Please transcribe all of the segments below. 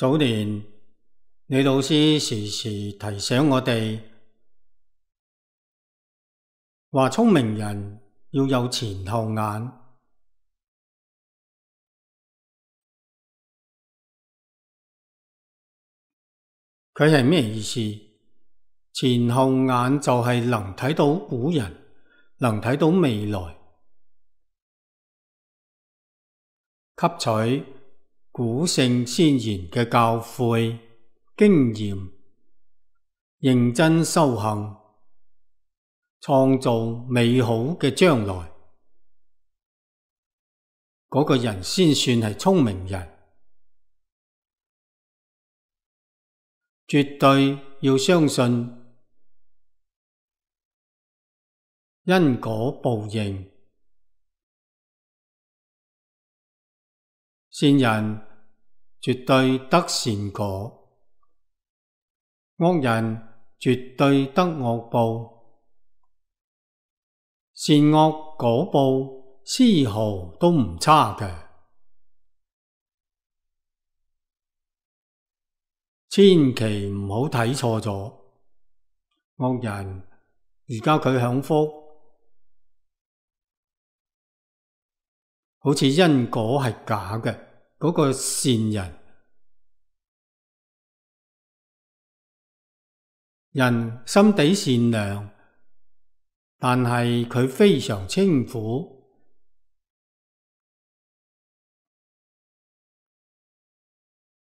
早年李老師時時提醒我哋，話聰明人要有前後眼。佢係咩意思？前後眼就係能睇到古人，能睇到未來，吸取古聖先賢嘅教誨經驗，認真修行，創造美好嘅將來。嗰個人先算係聰明人。絕對要相信因果報應。善人絕對得善果，惡人絕對得惡報。善惡果報絲毫都唔差嘅。千祈唔好睇錯咗，惡人而家佢享福，好似因果係假嘅。嗰個善人心地善良，但係佢非常清苦。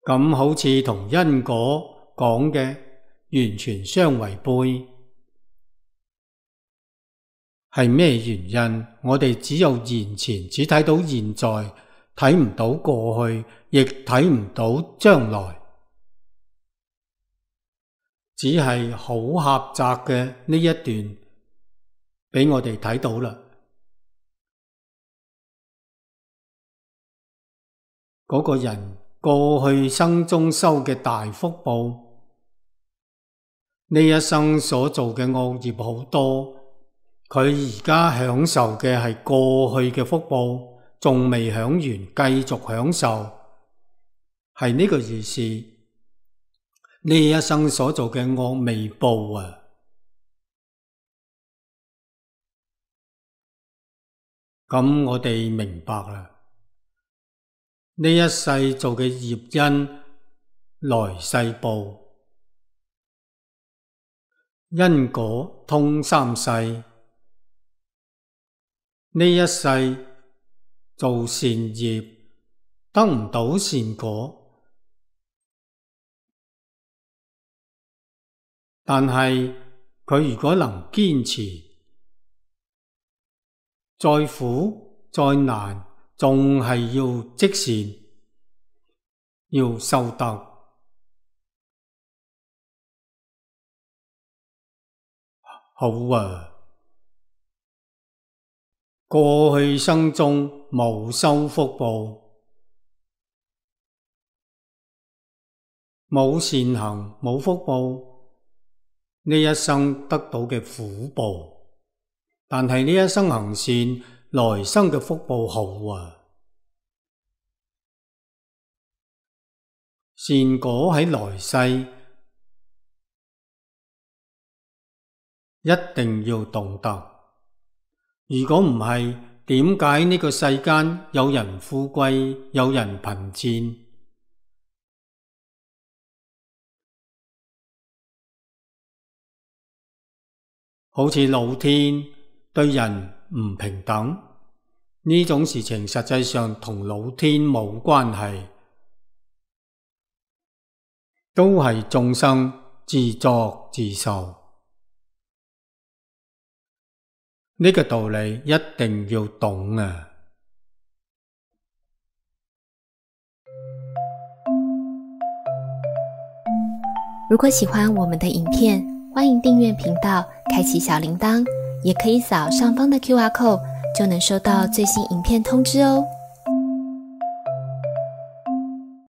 咁好似同因果講嘅完全相違背。係咩原因？我哋只有現前，只睇到現在，睇唔到過去，亦睇唔到將來，只係好狹窄嘅呢一段俾我哋睇到啦。嗰個人過去生中修嘅大福報，呢一生所做嘅惡業好多，佢而家享受嘅係過去嘅福報，仲未享完，繼續享受，係呢個意思。呢一生所做嘅惡未報啊！咁我哋明白啦。呢一世做嘅業因，來世報，因果通三世。呢一世做善業，得唔到善果，但係佢如果能堅持，再苦再難，仲係要積善，要修德。好啊，過去生中冇修福報，冇善行，冇福報，呢一生得到嘅苦報。但係呢一生行善，來生嘅福報好啊。善果喺來世，一定要懂得。如果唔係，點解呢個世間有人富貴，有人貧賤？好似老天對人唔平等，呢種事情實際上同老天冇關係，都係眾生自作自受。呢個道理一定要懂啊！如果喜歡我們的影片，歡迎訂閱頻道，開啟小鈴鐺，也可以掃上方的QR code，就能收到最新影片通知哦。